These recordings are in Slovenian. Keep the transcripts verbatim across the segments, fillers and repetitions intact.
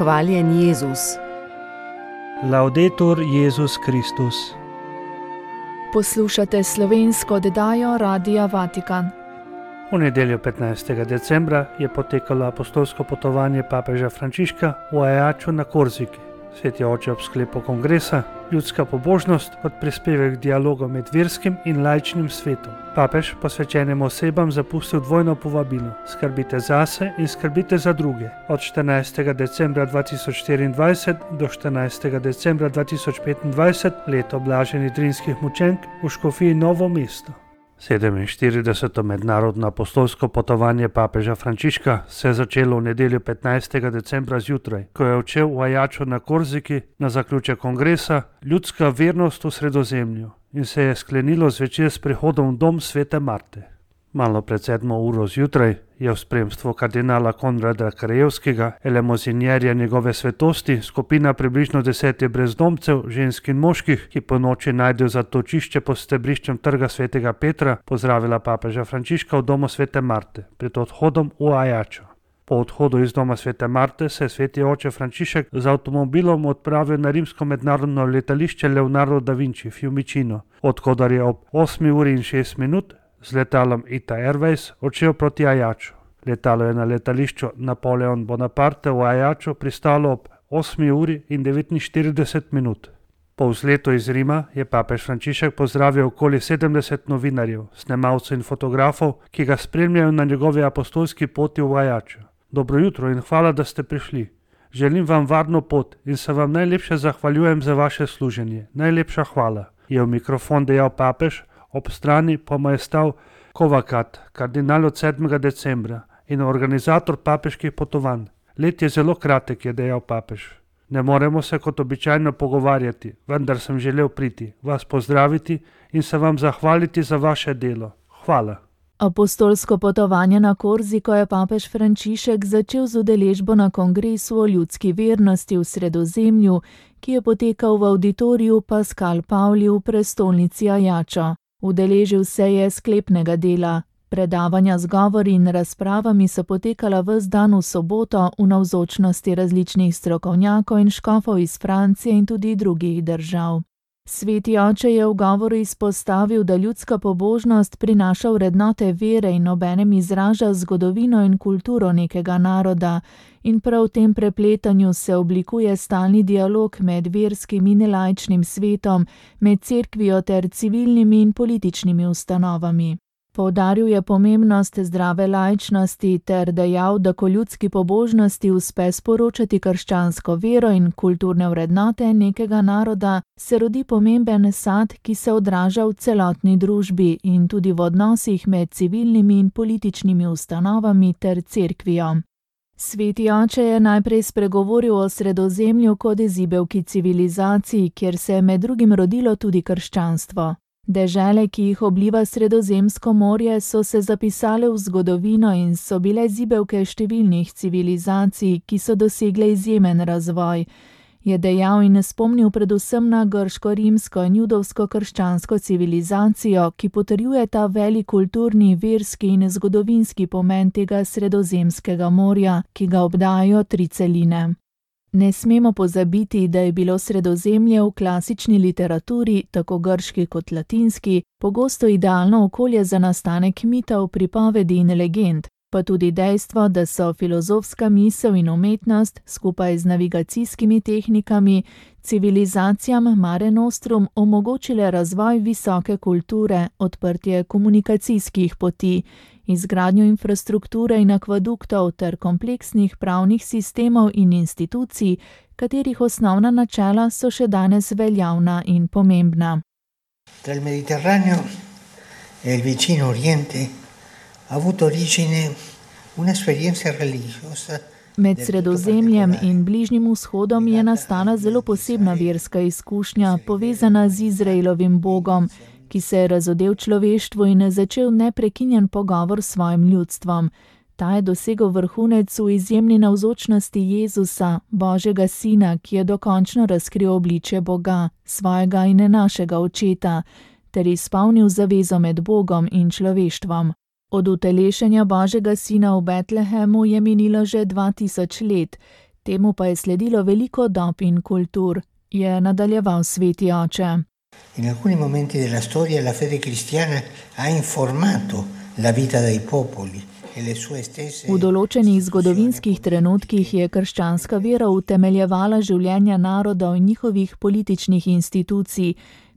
Hvaljen Jezus. Laudetur Jezus Kristus. Poslušate slovensko oddajo Radia Vatikan. V nedeljo petnajstega decembra je potekalo apostolsko potovanje papeža Frančiška v Ajaču na Korziki. Sveti oče ob sklepu kongresa Ljudska pobožnost kot prispevek k dialogu med verskim in laičnim svetom. Papež posvečenim osebam zapustil dvojno povabilo: skrbite zase in skrbite za druge. Od štirinajstega decembra dva tisoč štiriindvajset do štirinajstega decembra dva tisoč petindvajset, leto blaženih drinskih mučenk v škofiji Novo mesto. sedeminštirideseto mednarodno apostolsko potovanje papeža Frančiška se je začelo v nedeljo petnajstega decembra zjutraj, ko je odšel v Ajaču na Korziki na zaključek kongresa Ljudska vernost v Sredozemlju in se je sklenilo zvečer s prihodom v dom svete Marte. Malo pred sedmo uro zjutraj je v spremstvu kardinala Konrada Krajevskega, elemozinjerja njegove svetosti, skupina približno desetih brezdomcev, žensk in moških, ki po noči najdejo zatočišče pod stebriščem trga svetega Petra, pozdravila papeža Frančiška v domu svete Marte pred odhodom v Ajačo. Po odhodu iz doma svete Marte se je sveti oče Frančišek z avtomobilom odpravil na rimsko mednarodno letališče Leonardo da Vinci Fiumicino, odkudar je ob osmi uri in šest minut z letalom Ita Airways odšel proti Ajaču. Letalo je na letališču Napoleon Bonaparte v Ajaču pristalo ob osmi uri in devetinštirideset minut. Po vzletu iz Rima je papež Frančišek pozdravil okoli sedemdeset novinarjev, snemalcev in fotografov, ki ga spremljajo na njegovi apostolski poti v Ajaču. Dobro jutro in hvala, da ste prišli. Želim vam varno pot in se vam najlepše zahvaljujem za vaše služenje. Najlepša hvala, je v mikrofon dejal papež. Ob strani pa mu je stal Kovakat, kardinal od sedmega decembra in organizator papeških potovanj. Let je zelo kratek, je dejal papež. Ne moremo se kot običajno pogovarjati, vendar sem želel priti, vas pozdraviti in se vam zahvaliti za vaše delo. Hvala. Apostolsko potovanje na Korziko je papež Frančišek začel z udeležbo na kongresu o ljudski vernosti v Sredozemlju, ki je potekal v auditoriju Pascal Pauli v prestolnici Ajača. Udeležil se je sklepnega dela. Predavanja z govori in razpravami so potekala ves dan v soboto v navzočnosti različnih strokovnjakov in škofov iz Francije in tudi drugih držav. Sveti oče je v govoru izpostavil, da ljudska pobožnost prinaša vrednote vere in obenem izraža zgodovino in kulturo nekega naroda, in prav v tem prepletanju se oblikuje stalni dialog med verskim in laičnim svetom, med cerkvijo ter civilnimi in političnimi ustanovami. Poudaril je pomembnost zdrave laičnosti ter dejal, da ko ljudski pobožnosti uspe sporočati krščansko vero in kulturne vrednote nekega naroda, se rodi pomemben sad, ki se odraža v celotni družbi in tudi v odnosih med civilnimi in političnimi ustanovami ter cerkvijo. Sveti oče je najprej spregovoril o Sredozemlju kot izibelki civilizaciji, kjer se je med drugim rodilo tudi krščanstvo. Dežele, ki jih obliva Sredozemsko morje, so se zapisale v zgodovino in so bile zibelke številnih civilizacij, ki so dosegle izjemen razvoj, je dejal in spomnil predvsem na grško-rimsko in judovsko-krščansko civilizacijo, ki potrjuje ta velik kulturni, verski in zgodovinski pomen tega Sredozemskega morja, ki ga obdajajo tri celine. Ne smemo pozabiti, da je bilo Sredozemlje v klasični literaturi, tako grški kot latinski, pogosto idealno okolje za nastanek mitov, pripovedi in legend, pa tudi dejstvo, da so filozofska misel in umetnost skupaj z navigacijskimi tehnikami civilizacijam Mare Nostrum omogočile razvoj visoke kulture, odprtje komunikacijskih poti, izgradnjo infrastrukture in akvaduktov ter kompleksnih pravnih sistemov in institucij, katerih osnovna načela so še danes veljavna in pomembna. Tra il Mediterraneo e il vicino Oriente ha avuto origine un'esperienza religiosa. Med Sredozemljem in Bližnjim vzhodom je nastala zelo posebna verska izkušnja, povezana z Izraelovim Bogom, ki se je razodel človeštvu in začel neprekinjen pogovor s svojim ljudstvom. Ta je dosegel vrhunec v izjemni navzočnosti Jezusa, Božjega sina, ki je dokončno razkril obličje Boga, svojega in našega očeta, ter izpolnil zavezo med Bogom in človeštvom. Od utelešenja Božjega sina v Betlehemu je minilo že dva tisoč let. Temu pa je sledilo veliko dob in kultur, je nadaljeval sveti oče. In alcuni momenti della storia la fede cristiana ha informato la vita dei popoli. V določenih zgodovinskih trenutkih je krščanska vera utemeljevala življenja narodov in njihovih političnih institucij,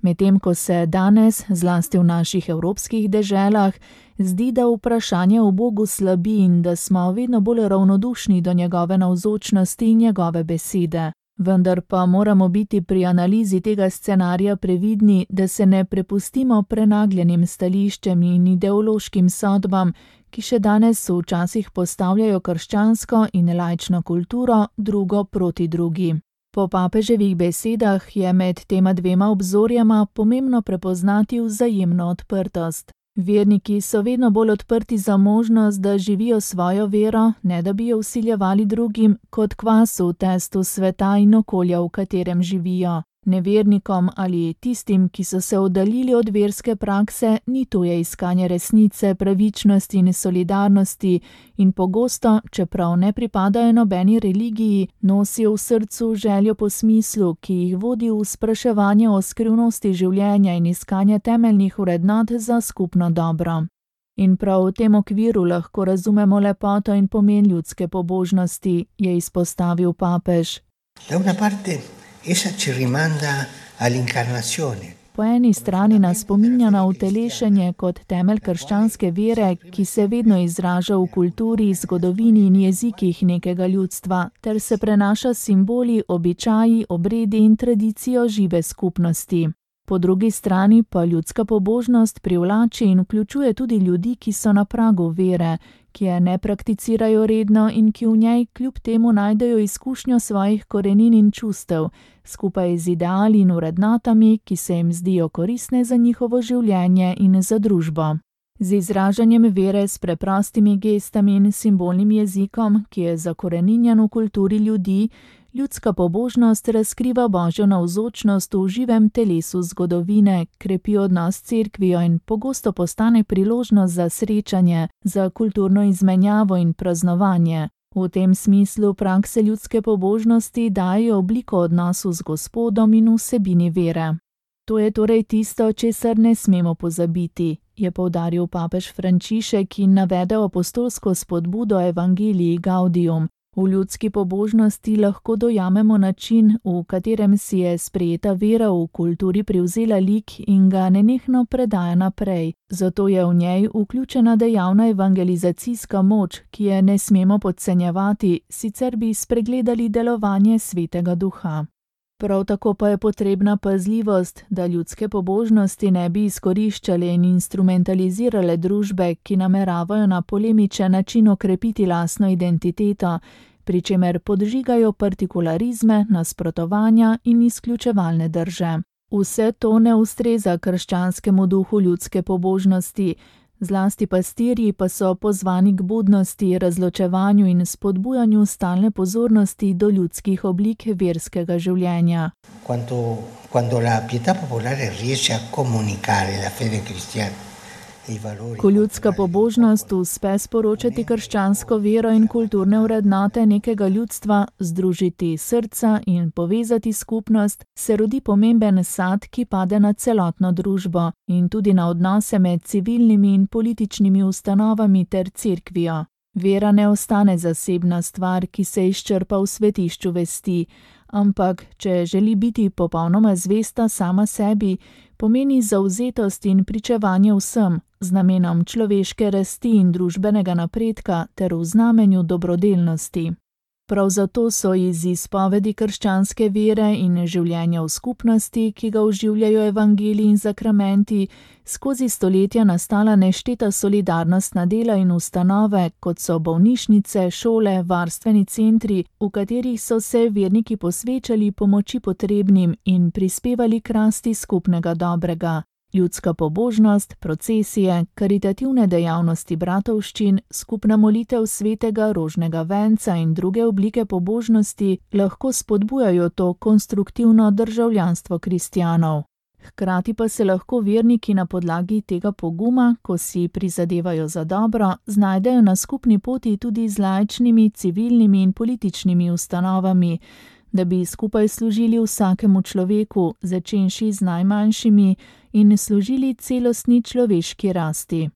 medtem ko se danes, zlasti v naših evropskih deželah, zdi, da vprašanje o Bogu slabi in da smo vedno bolj ravnodušni do njegove navzočnosti in njegove besede. Vendar pa moramo biti pri analizi tega scenarija previdni, da se ne prepustimo prenagljenim stališčem in ideološkim sodbam, ki še danes včasih postavljajo krščansko in laično kulturo drugo proti drugi. Po papeževih besedah je med tema dvema obzorjama pomembno prepoznati vzajemno odprtost. Verniki so vedno bolj odprti za možnost, da živijo svojo vero, ne da bi jo vsiljevali drugim, kot kvas v testu sveta in okolja, v katerem živijo. Nevernikom ali tistim, ki so se oddaljili od verske prakse, ni tuje iskanje resnice, pravičnosti in solidarnosti in pogosto, čeprav ne pripadajo nobeni religiji, nosijo v srcu željo po smislu, ki jih vodi v spraševanje o skrivnosti življenja in iskanje temeljnih vrednot za skupno dobro. In prav v tem okviru lahko razumemo lepoto in pomen ljudske pobožnosti, je izpostavil papež. Da una parte essa ci rimanda all'incarnazione. Po eni strani nas spominja na utelešenje kot temelj krščanske vere, ki se vedno izraža v kulturi, zgodovini in jezikih nekega ljudstva, ter se prenaša s simboli, običaji, obredi in tradicijo žive skupnosti. Po drugi strani pa ljudska pobožnost privlači in vključuje tudi ljudi, ki so na pragu vere, ki je ne prakticirajo redno in ki v njej kljub temu najdejo izkušnjo svojih korenin in čustev, skupaj z ideali in vrednotami, ki se jim zdijo koristne za njihovo življenje in za družbo. Z izražanjem vere s preprostimi gestami in simbolnim jezikom, ki je zakoreninjen v kulturi ljudi, ljudska pobožnost razkriva Božjo navzočnost v živem telesu zgodovine, krepi odnos s cerkvijo in pogosto postane priložnost za srečanje, za kulturno izmenjavo in praznovanje. V tem smislu prakse ljudske pobožnosti dajo obliko odnosu z Gospodom in vsebini vere. To je torej tisto, česar ne smemo pozabiti, je poudaril papež Frančišek in navedel apostolsko spodbudo Evangelii Gaudium. V ljudski pobožnosti lahko dojamemo način, v katerem si je sprejeta vera v kulturi privzela lik in ga nenehno predaja naprej. Zato je v njej vključena dejavna evangelizacijska moč, ki je ne smemo podcenjevati, sicer bi spregledali delovanje Svetega Duha. Prav tako pa je potrebna pazljivost, da ljudske pobožnosti ne bi izkoriščale in instrumentalizirale družbe, ki nameravajo na polemičen način okrepiti lastno identiteto, pri čemer podžigajo partikularizme, nasprotovanja in izključevalne drže. Vse to ne ustreza krščanskemu duhu ljudske pobožnosti, zlasti pastirji pa so pozvani k budnosti, razločevanju in spodbujanju stalne pozornosti do ljudskih oblik verskega življenja. Quando, quando la pietà popolare riesce a comunicare la fede cristiana, i valori. Ko ljudska pobožnost uspe sporočati krščansko vero in kulturne vrednote nekega ljudstva, združiti srca in povezati skupnost, se rodi pomemben sad, ki pade na celotno družbo in tudi na odnose med civilnimi in političnimi ustanovami ter cerkvijo. Vera ne ostane zasebna stvar, ki se izčrpa v svetišču vesti, ampak, če želi biti popolnoma zvesta sama sebi, pomeni zavzetost in pričevanje vsem, z namenom človeške rasti in družbenega napredka ter v znamenju dobrodelnosti. Prav zato so iz izpovedi krščanske vere in življenja v skupnosti, ki ga oživljajo evangeliji in sakramenti, skozi stoletja nastala nešteta solidarnostna dela in ustanove, kot so bolnišnice, šole, varstveni centri, v katerih so se verniki posvečali pomoči potrebnim in prispevali k rasti skupnega dobrega. Ljudska pobožnost, procesije, karitativne dejavnosti bratovščin, skupna molitev svetega rožnega venca in druge oblike pobožnosti lahko spodbujajo to konstruktivno državljanstvo kristjanov. Hkrati pa se lahko verniki na podlagi tega poguma, ko si prizadevajo za dobro, znajdejo na skupni poti tudi z laičnimi, civilnimi in političnimi ustanovami, da bi skupaj služili vsakemu človeku, začenši z najmanjšimi, in služili celostni človeški rasti.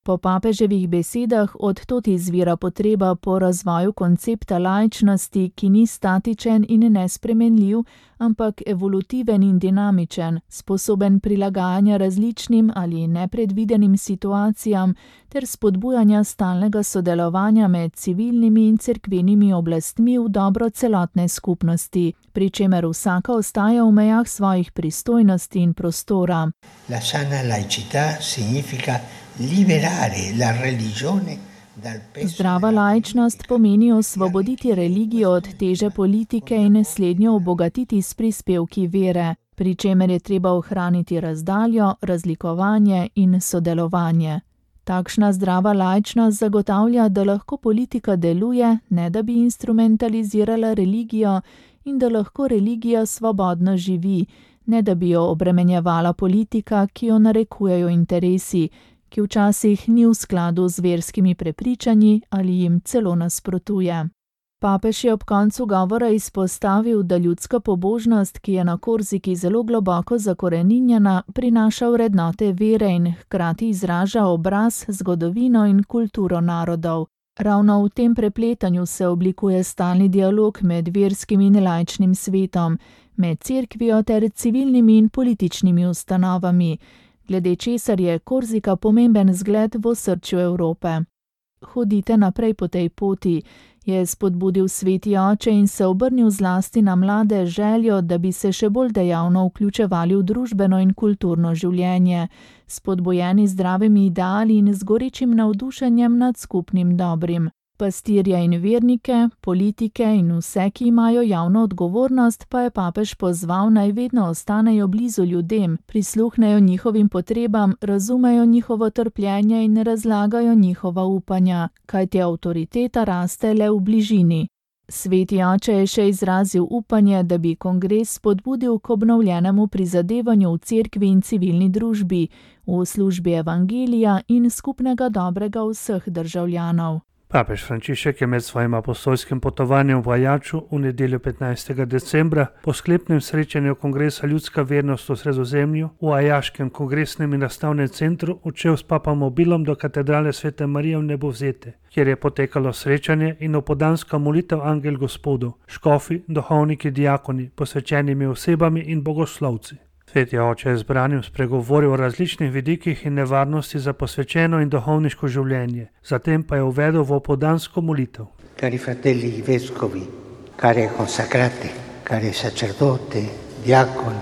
Po papeževih besedah od tod izvira potreba po razvoju koncepta laičnosti, ki ni statičen in nespremenljiv, ampak evolutiven in dinamičen, sposoben prilagajanja različnim ali nepredvidenim situacijam ter spodbujanja stalnega sodelovanja med civilnimi in cerkvenimi oblastmi v dobro celotne skupnosti, pri čemer vsaka ostaja v mejah svojih pristojnosti in prostora. La sana laicità significa liberare la religione dal peso. Zdrava laičnost pomeni osvoboditi religijo od teže politike in slednjo obogatiti s prispevki vere, pri čemer je treba ohraniti razdaljo, razlikovanje in sodelovanje. Takšna zdrava laičnost zagotavlja, da lahko politika deluje, ne da bi instrumentalizirala religijo, in da lahko religija svobodno živi, ne da bi jo obremenjevala politika, ki jo narekujejo interesi, ki včasih ni v skladu z verskimi prepričanji ali jim celo nasprotuje. Papež je ob koncu govora izpostavil, da ljudska pobožnost, ki je na Korziki zelo globoko zakoreninjena, prinaša vrednote vere in hkrati izraža obraz, zgodovino in kulturo narodov. Ravno v tem prepletanju se oblikuje stalni dialog med verskim in laičnim svetom, med cerkvijo ter civilnimi in političnimi ustanovami, glede česar je Korzika pomemben zgled v osrčju Evrope. Hodite naprej po tej poti, je spodbudil sveti oče in se obrnil zlasti na mlade željo, da bi se še bolj dejavno vključevali v družbeno in kulturno življenje, spodbujeni zdravimi ideali in z gorečim navdušenjem nad skupnim dobrim. Pastirje in vernike, politike in vse, ki imajo javno odgovornost, pa je papež pozval, naj vedno ostanejo blizu ljudem, prisluhnejo njihovim potrebam, razumejo njihovo trpljenje in razlagajo njihova upanja, kajti avtoriteta raste le v bližini. Sveti oče je še izrazil upanje, da bi kongres spodbudil k obnovljenemu prizadevanju v cerkvi in civilni družbi, v službi evangelija in skupnega dobrega vseh državljanov. Papež Frančišek je med svojim apostolskim potovanjem v Ajaču v nedeljo petnajstega decembra po sklepnem srečanju kongresa Ljudska vernost v Sredozemlju v Ajaškem kongresnem in razstavnem centru odšel s papamobilom do katedrale Svete Marije v Nebovzete, kjer je potekalo srečanje in opodanska molitev Angel Gospodu, škofi, duhovniki, diakoni, posvečenimi osebami in bogoslovci. Sveti oče je zbranim spregovoril o različnih vidikih in nevarnosti za posvečeno in duhovniško življenje, zatem pa je uvedel v opodansko molitev. Cari fratelli vescovi, care consacrate, care sacerdote, diaconi,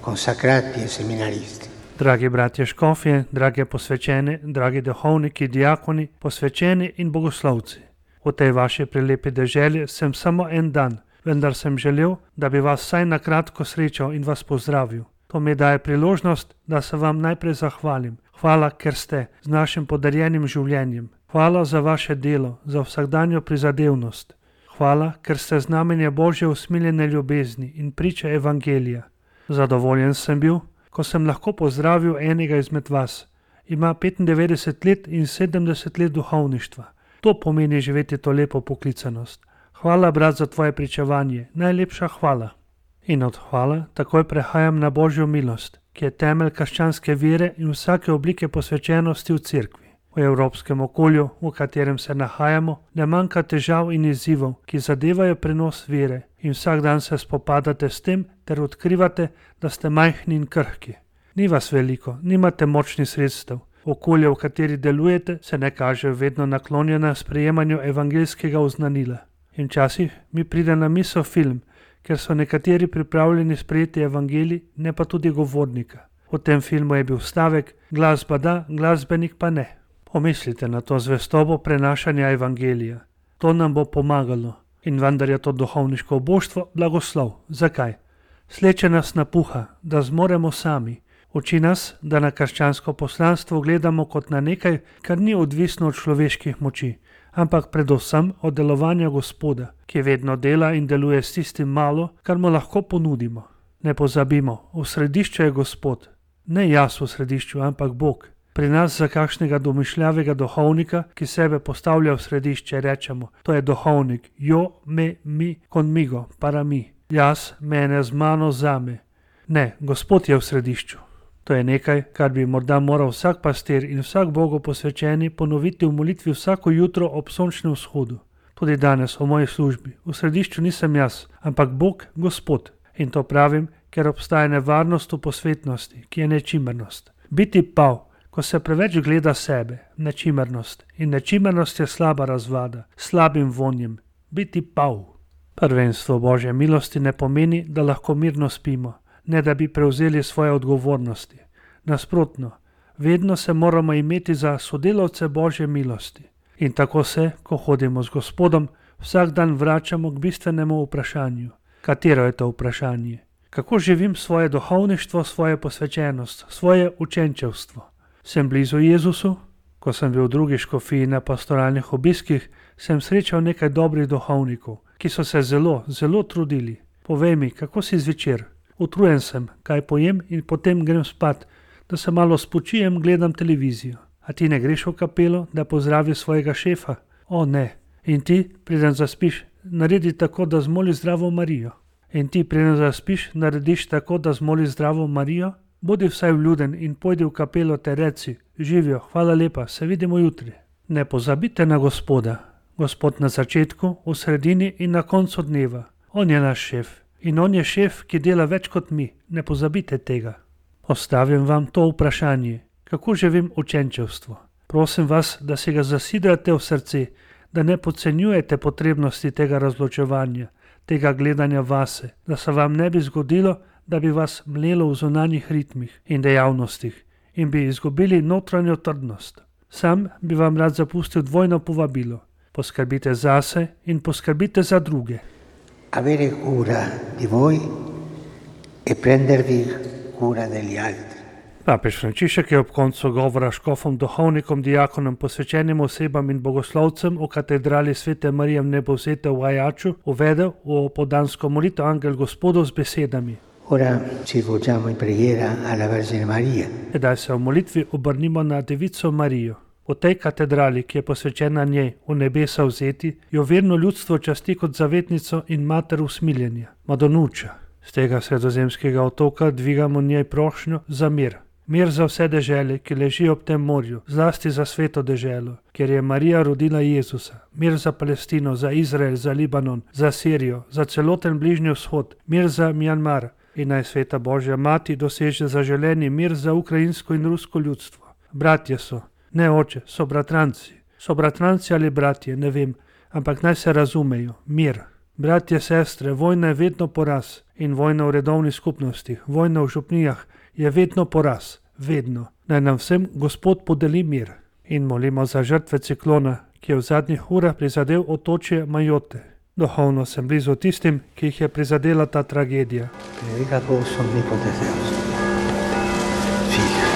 consacrati e seminaristi. Dragi bratje škofje, drage posvečene, dragi duhovniki, diakoni, posvečeni in bogoslovci. V tej vaši prelepi deželi sem samo en dan, vendar sem želel, da bi vas vsaj na kratko srečal in vas pozdravil. To mi daje priložnost, da se vam najprej zahvalim. Hvala, ker ste z našim podarjenim življenjem. Hvala za vaše delo, za vsakdanjo prizadevnost. Hvala, ker ste znamenje Božje usmiljene ljubezni in priče evangelija. Zadovoljen sem bil, ko sem lahko pozdravil enega izmed vas. Ima petindevetdeset let in sedemdeset let duhovništva. To pomeni živeti to lepo poklicanost. Hvala, brat, za tvoje pričevanje. Najlepša hvala. In od hvala takoj prehajam na Božjo milost, ki je temelj krščanske vere in vsake oblike posvečenosti v cerkvi. V evropskem okolju, v katerem se nahajamo, ne manjka težav in izzivov, ki zadevajo prenos vere in vsak dan se spopadate s tem ter odkrivate, da ste majhni in krhki. Ni vas veliko, nimate močnih sredstev. Okolje, v kateri delujete, se ne kaže vedno naklonjena sprejemanju evangeljskega oznanila. In včasih mi pride na misel film, ker so nekateri pripravljeni sprejeti evangelij, ne pa tudi govornika. V tem filmu je bil stavek, glasba da, glasbenik pa ne. Pomislite na to zvestobo prenašanja evangelija. To nam bo pomagalo. In vendar je to duhovniško božstvo blagoslov. Zakaj? Sleče nas napuha, da zmoremo sami. Uči nas, da na krščansko poslanstvo gledamo kot na nekaj, kar ni odvisno od človeških moči, ampak predvsem od delovanja Gospoda, ki vedno dela in deluje s tistim malo, kar mu lahko ponudimo. Ne pozabimo, v središču je Gospod. Ne jaz v središču, ampak Bog. Pri nas za kakšnega domišljavega duhovnika, ki sebe postavlja v središče, rečemo, to je duhovnik, jo, me, mi, conmigo, para mi. Jaz, mene, z mano, zame. Ne, Gospod je v središču. To je nekaj, kar bi morda moral vsak pastir in vsak Bogu posvečeni ponoviti v molitvi vsako jutro ob sončnem vzhodu. Tudi danes v moji službi. V središču nisem jaz, ampak Bog, Gospod. In to pravim, ker obstaja nevarnost v posvetnosti, ki je nečimernost. Biti pav, ko se preveč gleda sebe, nečimernost. In nečimernost je slaba razvada, slabim vonjem. Biti pav. Prvenstvo Božje milosti ne pomeni, da lahko mirno spimo, ne da bi prevzeli svoje odgovornosti. Nasprotno, vedno se moramo imeti za sodelavce Božje milosti. In tako se, ko hodimo z Gospodom, vsak dan vračamo k bistvenemu vprašanju. Katero je to vprašanje? Kako živim svoje duhovništvo, svojo posvečenost, svoje učenčevstvo? Sem blizu Jezusu? Ko sem bil v drugi škofiji na pastoralnih obiskih, sem srečal nekaj dobrih duhovnikov, ki so se zelo, zelo trudili. Povej mi, kako si zvečer? Utrujen sem, kaj pojem in potem grem spat, da se malo spočijem, gledam televizijo. A ti ne greš v kapelo, da pozdraviš svojega šefa? O ne. In ti, preden zaspiš, naredi tako, da zmoli zdravo Marijo. In ti, preden zaspiš, narediš tako, da zmoli zdravo Marijo? Bodi vsaj vljuden in pojdi v kapelo te reci, živijo, hvala lepa, se vidimo jutri. Ne pozabite na Gospoda. Gospod na začetku, v sredini in na koncu dneva. On je naš šef. In on je šef, ki dela več kot mi. Ne pozabite tega. Postavim vam to vprašanje. Kako živim učenčevstvo? Prosim vas, da si ga zasidrate v srce, da ne podcenjujete potrebnosti tega razločevanja, tega gledanja vase, da se vam ne bi zgodilo, da bi vas mlelo v zunanjih ritmih in dejavnostih in bi izgubili notranjo trdnost. Sam bi vam rad zapustil dvojno povabilo. Poskrbite zase in poskrbite za druge. Avere cura di voi e prendervi cura degli altri. Papež Frančišek je ob koncu govora škofom, duhovnikom, dijakonom, posvečenim osebam in bogoslovcem v katedrali Svete Marije Vnebovzete v Ajaču uvedel v podansko molitev Angel Gospodov z besedami. Ora ci volgiamo in preghiera alla Vergine Maria. Sedaj se v molitvi obrnimo na Devico Marijo. V tej katedrali, ki je posvečena njej, v nebesa vzeti, jo verno ljudstvo časti kot zavetnico in mater usmiljenja, Madonuča. Z tega sredozemskega otoka dvigamo njej prošnjo za mir. Mir za vse dežele, ki ležijo ob tem morju, zlasti za sveto deželo, kjer je Marija rodila Jezusa. Mir za Palestino, za Izrael, za Libanon, za Sirijo, za celoten Bližnji vzhod, mir za Mjanmar. In naj sveta Božja mati doseže zaželeni mir za ukrajinsko in rusko ljudstvo. Bratje so, ne oče, so bratranci. So bratranci ali bratje, ne vem, ampak naj se razumejo. Mir. Bratje, sestre, vojna je vedno poraz. In vojna v redovnih skupnostih, vojna v župnijah je vedno poraz. Vedno. Naj nam vsem Gospod podeli mir. In molimo za žrtve ciklona, ki je v zadnjih urah prizadel otočje Majotte. Duhovno sem blizu tistim, ki jih je prizadela ta tragedija. Benedicat vos omnipotens Deus, Figlio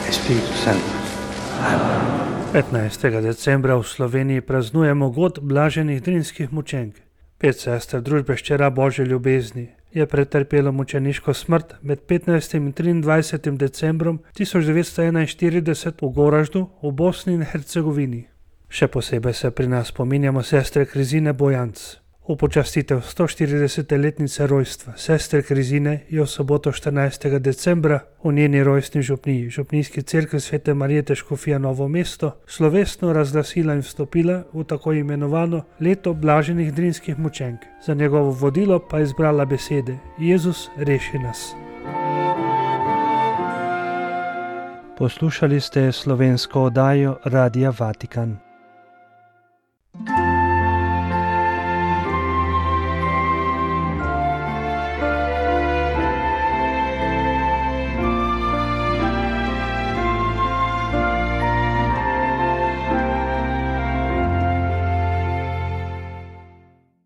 e Spiritus Sanctus. Amen. petnajstega decembra v Sloveniji praznujemo god blaženih drinskih mučenk. Pet sester družbe Ščera Božje ljubezni je pretrpelo mučeniško smrt med petnajstim in triindvajsetim decembrom tisoč devetsto enainštirideset v Goraždu v Bosni in Hercegovini. Še posebej se pri nas spominjamo sestre Krizine Bojanc. V počastitev stoštirideset letnice rojstva sestre Krizine je v soboto štirinajstega decembra v njeni rojstni župniji, župnijski cerkev Svete Marije Škofija Novo mesto, slovesno razglasila in vstopila v tako imenovano leto blaženih drinskih mučenk. Za njegovo vodilo pa je izbrala besede: Jezus, reši nas. Poslušali ste slovensko oddajo Radia Vatikan.